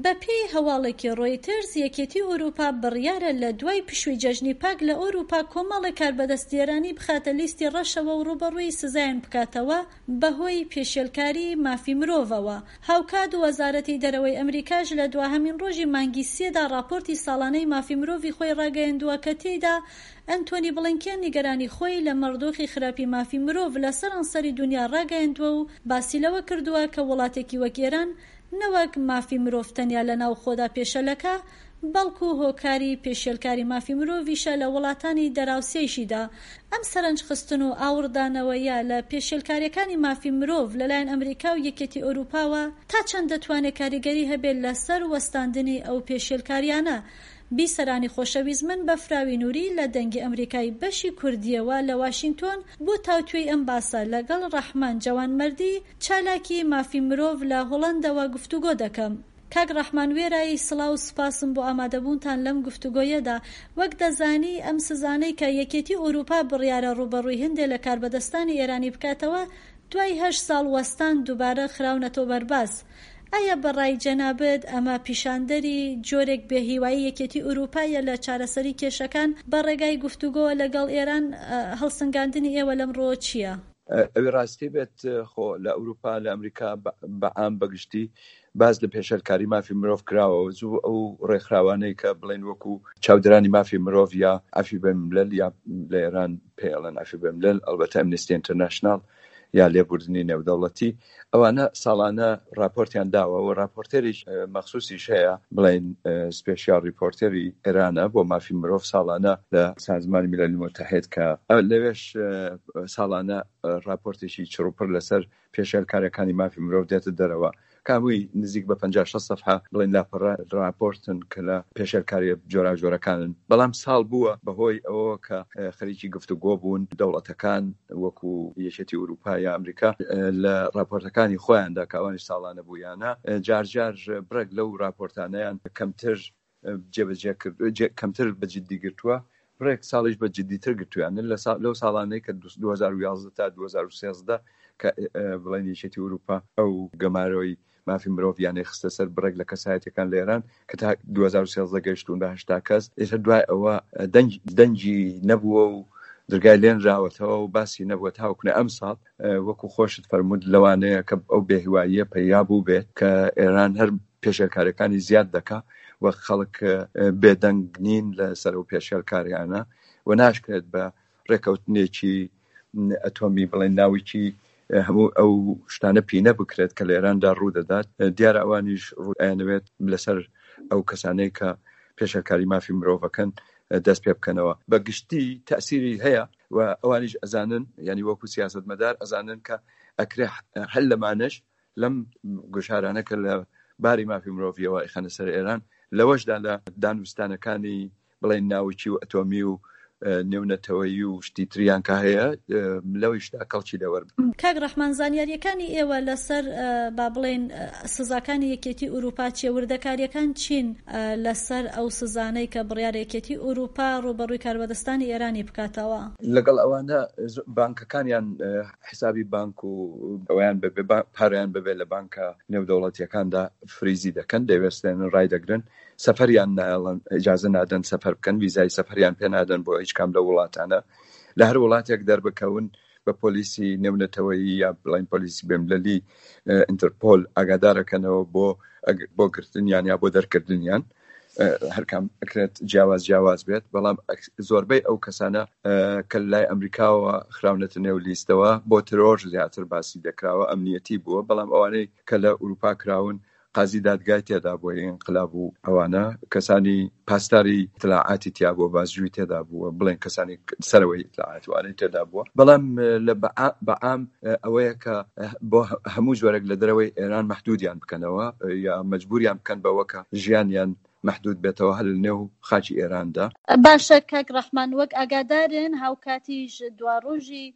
بەپێی هەواڵێکی ڕۆیتەرز، یەکێتی ئەوروپا بڕیارە لە دوای پشووی جەژنی پاک لە ئەوروپا کۆمەڵێک کاربەدەستی ئێرانی بخاتە لیستی ڕەشەوە و ڕووبەڕووی سزایان بکاتەوە بەهۆی پێشێلکاری مافی مرۆڤەوە. هاوکات وەزارەتی دەرەوەی ئەمریکاش لە دواهەمین ڕۆژی مانگی سێدا ڕاپۆرتی ساڵانەی مافی مرۆڤی خۆی ڕاگەیەندووە کە تێیدا ئەنتۆنی بڵینکێن نیگەرانی خۆی لەمەڕ دۆخی خراپی مافی مرۆڤ لە سەرانسەری دونیا ڕاگەیەندووە و باسی لەوە کردووە کە وڵاتێکی وەک ئێران نەوەک مافی مرۆڤ تەنیا لە ناوخۆدا پێشەلەکە، بەڵکو هۆکاری پێشێلکاری مافی مرۆڤیشە لە وڵاتانی دەراوسێیشیدا. ئەم سەرنج خستن و ئاوڕدانەوەیە لە پێشێلکاریەکانی مافی مرۆڤ لەلایەن ئەمریکا و یەکێتی ئەوروپاوە تا چەند دەتوانێ کاریگەری هەبێت لەسەر وەستاندنی ئەو پێشێلکاریانە؟ بیسەرانی خۆشەویست من بەفراوی نوری لە دەنگی ئەمریکای بەشی کوردیەوە لە واشینتۆن بۆ تاوتوێی ئەم باسە لەگەڵ ڕەحمان جەوانمەردی چالاکی مافی مرۆڤ لە هۆڵەندەوە گفتوگۆ دەکەم. کاک ڕەحمان وێرای سڵاو و سوپاسم بۆ ئامادەبوونتان لەم گفتوگۆیەدا، وەک دەزانی ئەم سزانەی کە یەکێتی ئوروپا بڕیارە ڕووبەڕووی هندێ لە کاربەدەستانی ئێرانی بکاتەوە دوای هەشت ساڵ وەستان دووبارە خراونەتەوە بەرباس. ئایا بە ڕای جەنابت ئەمە پیشاندەری جۆرێک بێ هیوایی یەکێتی ئوروپایە لە چارەسەری کێشەکان بە ڕێگای گفتوگۆوە لەگەڵ ئێران؟ هەڵسنگاندنی ئێوە لەم ڕووە چییە؟ ئەوی ڕاستی بێت خۆ لە ئەوروپا لە ئەمریکا بە عام بە گشتی باس لە پێشێلکاری مافی مرۆڤ کراوە و زوو ئەو ڕێکخراوانەی کە بڵێن وەکو چاودێرانی مافی مرۆڤ یا عەفی بەینولملەل یا لە ئێران پێی ئەڵێن عەفی بەینولملەل ئەڵبەتە ئەمنستی ئینتەرناشناڵ یا لێبوردنی نێودەوڵەتی ئەوانە ساڵانە راپۆرتیان داوە و راپۆرتێریش مەخسوسیش هەیە بڵێن سپێشیال ریپۆرتێری ئێرانە بۆ مافی مرۆڤ ساڵانە لە سازمانی میللی متحد کە لەوێش ساڵانە راپۆرتێکی چڕوپڕ لەسەر پێشێلکاریەکانی مافی مرۆڤ دێتە دەرەوە کە هەمووی نزیک بە 50 60 سەفحە بڵێن لاپەڕە راپۆرتن کە لە پێشێلکاریە جۆراوجۆرەکانن بەڵام ساڵ بووە بەهۆی ئەوەوە کە خەریکی گفتوگۆ بوون دەوڵەتەکان وەکو یەکێتی ئوروپا یا ئەمریکا لە راپۆرتەکانی خۆیاندا کە ئەوانیش ساڵانە بوویانە جارجار بڕێک لەو راپۆرتانەیان کەمتر جێبەجێ کرد کەمتر بە جدی گرتووە بڕێک ساڵیش بە جدیتر گرتویانە لە لەو ساڵانەی کە 2011 تا 2013 کە بڵێن یەکێتی ئوروپا ئەو گەمارۆی مافی مرۆڤیانەی خستە سەر بڕێک لە کەسایەتیەکان لە ئێران کە تا 2013 گەیشتوون بە 80 کەس ئێستا دوای ئەوە دەنگ دەنگی نەبووە و درگای لێنراوەتەوە و باسی نەبووە تاوەکو ئەم ساڵ وەکو خۆشت فەرمووت لەوانەیە کە ئەو بێهیواییە پەیا بوو بێت کە ئێران هەر پێشێلکاریەکانی زیاد دەکا و خەڵک بێدەنگ نین لەسەر ئەو پێشێلکاریانە و ناشکرێت بە ڕێکەوتنێکی ئەتۆمی بڵێن ناوکی هەموو ئەو شتانە پینە بکرێت کە لە ئێراندا ڕوو دەدات دیارە ئەوانیش ڕوئەیانەوێت لەسەر ئەو کەسانەی کە پێشێلکاری مافی مرۆڤەکەن دەست پێ بکەنەوە بە گشتی تەسیری هەیە و ئەوانیش ئەزانن یعنی وەکو سیاستمەدار ئەزانن کە ئەکرێ هەر لەمانەش لەم گوشارانە کە لە باری مافی مرۆڤیەوە ئەیخەنە سەر ئێران، لەوەشدا لە دانوستانەکانی بڵێین ناوکی و ئەتۆمی و نێونەتەوەیی و شتی تریان کە هەیە لەوەیشدا کەڵکی لێ وەربگرن. کاک ڕەحمان زانیارییەکانی ئێوە لەسەر با بڵێین سزاکانی یەکێتی ئورووپا چییە؟ وردەکارییەکان چین لەسەر ئەو سزانەی کە بڕیارە یەکێتی ئورووپا ڕووبەڕووی کاربەدەستانی ئێرانی بکاتەوە؟ لەگەڵ ئەوانە بانکەکانیان حسابی بانک و ئەوەیان بەبێ پارەیان بەبێ لە بانکە نێودەوڵەتیەکاندا فریزی دەکەن دەیوەستێنن ڕایدەگرن سەفەریان نایەڵن ئیجازە نادەن سەفەر بکەن ویزای سەفەریان پێ نادەن بۆ هیچ کام لە وڵاتانە لە هەر وڵاتێک دەربکەون بە پۆلیسی نێونەتەوەیی یا بڵین پۆلیسی بێملەلی ئینتەرپۆل ئاگادارەکەنەوە بۆ بۆ گرتنیان یا بۆ دەرکردنیان هەرکام ئەکرێت جیاواز جیاواز بێت بەڵام زۆربەی ئەو کەسانە کە لای ئەمریکاوە خراونەتە نێو لیستەوە بۆ ترۆر زیاتر باسی دەکراوە ئەمنیەتی بووە بەڵام ئەوانەی کە لە ئوروپا کراون قازی دادگای تێدا بووە ئینقلاب و ئەوانە کەسانی پاسداری ئیتلاعاتی تیا بووە بازجوی تێدا بووە بڵێن کەسانی سەرەوەی ئیتلاعات وانەی تێدا بووە بەڵام لە بەعام ئەوەیە کە بۆ هەموو جۆرێک لە دەرەوەی ئێران مەحدودیان بکەنەوە یا مەجبوریان بکەن بەوە کە ژیانیان مەحدود بێتەوە هەر لە نێو خاکی ئێراندا. باشە کاک ڕەحمان وەک ئاگادارن هاوکاتیش دواڕۆژی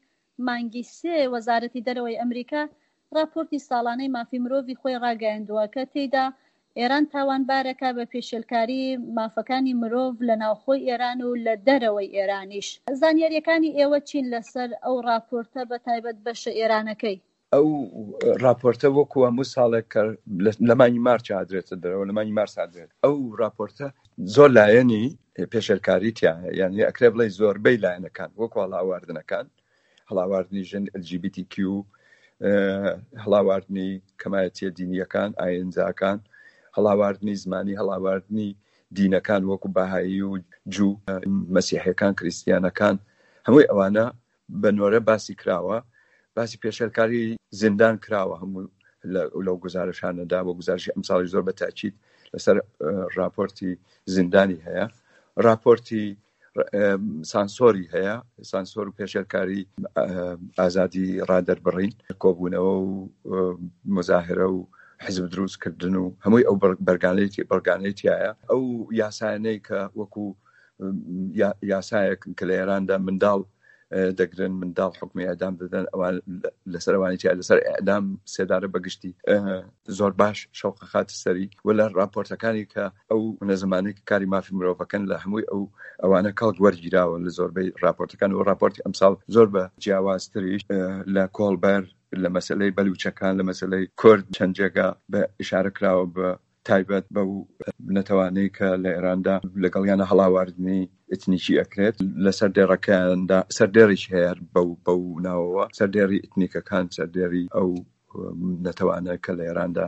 مانگی سێ وەزارەتی دەرەوەی ئەمریکا ڕاپۆرتی ساڵانەی مافی مرۆڤی خۆی ڕاگەیاندووە کە تێیدا ئێران تاوانبارەکە بە پێشێلکاری مافەکانی مرۆڤ لە ناوخۆی ئێران و لە دەرەوەی ئێرانیش. زانیارییەکانی ئێوە چین لەسەر ئەو ڕاپۆرتە بە تایبەت بەشە ئێرانەکەی؟ ئەو ڕاپۆرتە وەکو هەموو ساڵێک کە لە مانگی مارچ ئادرێتە دەرەوە لە مانگی مارس ئادرێت ئەو ڕاپۆرتە زۆر لایەنی پێشێلکاری تیایە یعنی ئەکرێ بڵێ زۆربەی لایەنەکان وەکو هەڵاواردنەکان هەڵاواردنی ژن LGBTQ هەڵاواردنی کەمایەتیە دینیەکان ئاینزاکان هەڵاواردنی زمانی هەڵاواردنی دینەکان وەکو بەهایی و جوو مەسیحەکان کریسیانەکان هەمووی ئەوانە بە نۆرە باسی کراوە، باسی پێشێلکاری زیندان کراوە هەموو لەو گوزارشانەدا و گوزارشی ئەمساڵی زۆر بە تاکید لەسەر راپۆرتی زیندانی هەیە، راپۆرتی سانسۆری هەیە، سانسۆر و پێشێلکاری ئازادی ڕادەربڕین، کۆبوونەوە و مزاهرە و حزب دروستکردن و هەمووی ئەو بەرگانەی بەڵگانەی تایە ئەو یاسایانەی کە وەکو یاسایەک کە لە ئێراندا منداڵ دەگرن منداڵ حکومی ئەدام دەدەن ئەوان لەسەر ئەوانی تیا لەسەر ئەدام سێدارە بەگشتی زۆر باش شەوقە خاتە سەری و لە راپۆرتەکانی کە ئەو نەزمانەی کە کاری مافی مرۆڤەکەن لە هەمووی ئەو ئەوانە کەڵک وەرگیراوە لە زۆربەی راپۆرتەکان و راپۆرتی ئەمساڵ زۆر بە جیاوازتریش لە کۆڵبەر لە مەسلەی بەلوچەکان لە مەسلەی کورد چەند جێگا بە ئشارە کراوە بە تایبەت بەو نەتەوانەی کە لە ئێراندا لەگەڵیانە هەڵاواردنی ئیتنیکی ئەکرێت لە سەردێڕەکەیاندا سەردێڕیش هەیە بەو بەو ناوەوە سەردێڕی ئیتنیکەکان سەردێڕی ئەو نەتەوانە کە لە ئێراندا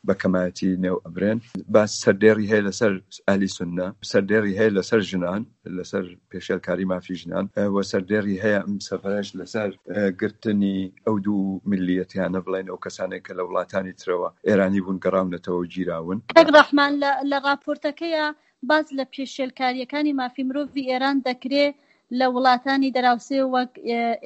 بە کەمایەتی نێو ئەبرێن باس سەردێڕی هەیە لەسەر ئەهلی سوننە سەردێڕی هەیە لەسەر ژنان لەسەر پێشێلکاری مافی ژنان و سەردێڕی هەیە ئەم سەفەرەش لەسەر گرتنی ئەو دوو میللیەتیانە بڵێن ئەو کەسانێک کە لە وڵاتانی ترەوە ئێرانی بوون گەڕاونەتەوە و گیراون. کاک ڕەحمان لە لە ڕاپۆرتەکەیا باس لە پێشێلکارییەکانی مافی مرۆڤی ئێران دەکرێ لە وڵاتانی دەراوسێ وەک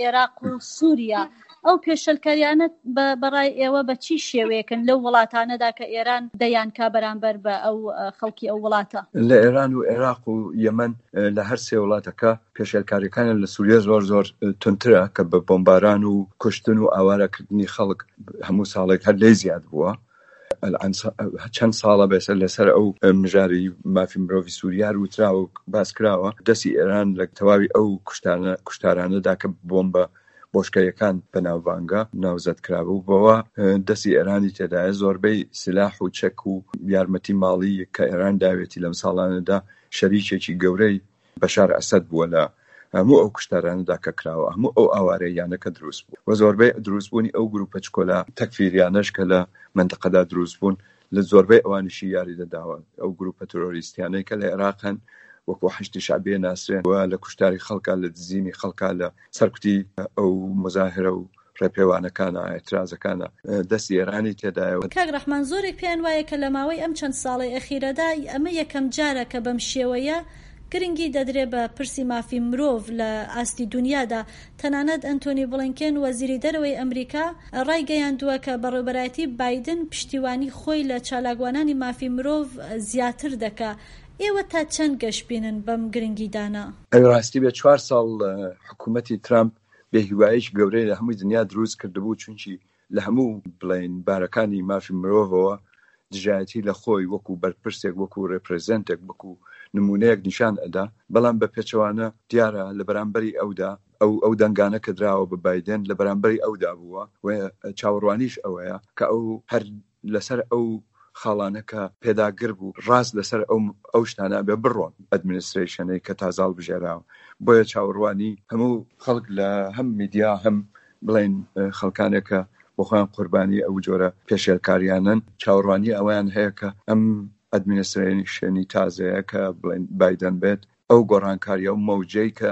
ئێراق و سووریا. ئەو پێشێلکاریانە بە بە ڕای ئێوە بە چی شێوەیەکن لەو وڵاتانەدا کە ئێران دەیانکا بەرامبەر بە ئەو خەڵکی ئەو وڵاتە؟ لە ئێران و ئێراق و یەمەن لە هەر سێ وڵاتەکە پێشێلکاریەکانیان لە سوریە زۆر زۆر توندترە کە بە بۆمباران و کوشتن و ئاوارەکردنی خەڵک هەموو ساڵێک هەر لێی زیاد بووە. چەند ساڵە بەسە لەسەر ئەو مژاری مافی مرۆڤی سووریا هەر وتراوە و باس کراوە دەستی ئێران لە تەواوی ئەو کوشتانە کوشتارانەدا کە بۆمبە بۆشکەیەکان بەناوبانگە ناوزەد کرابوو بەوە دەستی ئێرانی تێدایە زۆربەی سلاح و چەک و یارمەتی ماڵی کە ئێران داوێتی لەم ساڵانەدا شەریکێکی گەورەی بەشار ئەسەد بووە لە هەموو ئەو کوشتارانەدا کە کراوە، هەموو ئەو ئاوارەییانە کە دروست بوو و زۆربەی دروستبوونی ئەو گروپە چکۆلە تەکفیریانەش کە لە مەنتقەدا دروست بوون لە زۆربەی ئەوانیشی یاریدە داوە. ئەو گروپە ترۆریستیانەی کە لە عێراق هەن وەکوو حەشدی شەعبیە ناسرێن و لە کوشتاری خەڵکا، لە دزینی خەڵکا، لە سەرکوتی ئەو موزاهرە و ڕێپێوانەکانە، ئیعترازەکانە، دەستی ئێرانی تێدایە. کاک ڕەحمان زۆرێک پێیان وایە کە لە ماوەی ئەم چەند ساڵەی ئەخیرەدا ئەمە یەکەم جارە کە بەم شێوەیە گرنگی دەدرێ بە پرسی مافی مرۆڤ لە ئاستی دونیادا تەنانەت ئەنتۆنی بڵینکێن وەزیری دەرەوەی ئەمریکا ڕایگەیاندووە کە بەڕێوبەرایەتی بایدن پشتیوانی خۆی لە چالاکوانانی مافی مرۆڤ زیاتر دەکا ئێوە تا چەند گەشبینن بەم گرنگیدانە؟ ئەوی ڕاستی بێ چوار ساڵ حکوومەتی ترامپ بێ هیوایەکی گەورەی لە هەمووی دنیا دروست کردبوو چونکی لە هەموو بڵێین بارەکانی مافی مرۆڤەوە دژایەتی لە خۆی وەکو بەرپرسێک وەکو رێپرێزێنتێک وەکو نمونەیەک نیشان ئەدا بەڵام بە پێچەوانە دیارە لە بەرامبەری ئەودا ئەو ئەو دەنگانە کە دراوە بە بایدن لە بەرامبەری ئەودا بووە و چاوەڕوانیش ئەوەیە کە ئەو هەر لەسەر ئەو خاڵانە کە پێداگر بوو ڕاست لەسەر ئەو ئەو شتانە ئەبێ بڕۆن ئەدمنسترەیشنەی کە تازە هەڵبژێراوە بۆیە چاوەڕوانی هەموو خەڵک لە هەم میدیا هەم بڵێن خەڵکانێک کە بۆ خۆیان قوربانی ئەو جۆرە پێشێلکاریانەن چاوەڕوانی ئەوەیان هەیە کە ئەم ئەدمنسترەیشنی تازەیە کە بڵێن بایدن بێت ئەو گۆڕانکاریە و مەوجەی کە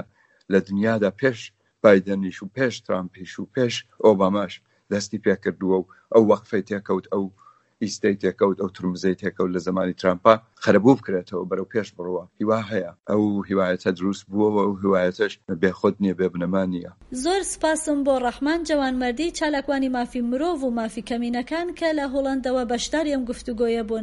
لە دنیادا پێش بایدنیش و پێش ترامپیش و پێش ئۆباماش دەستی پێکردووە و ئەو وەقفەی تێکەوت ئەو ئیستەی تێکەوت ئەو ترمزەی تێکەوت لە زەمانی ترامپا قەرەبوو بکرێتەوە بەرەو پێش بڕوا هیوا هەیە ئەو هیوایەتە دروست بووەوە ئەو هیوایەتەش بێخود نییە بێ بنەما نییە. زۆر سپاسم بۆ ڕەحمان جەوانمەردی چالاکوانی مافی مرۆڤ و مافی کەمینەکان کە لە هوڵەندەوە بەشداری ئەم گفتوگۆیە بوون.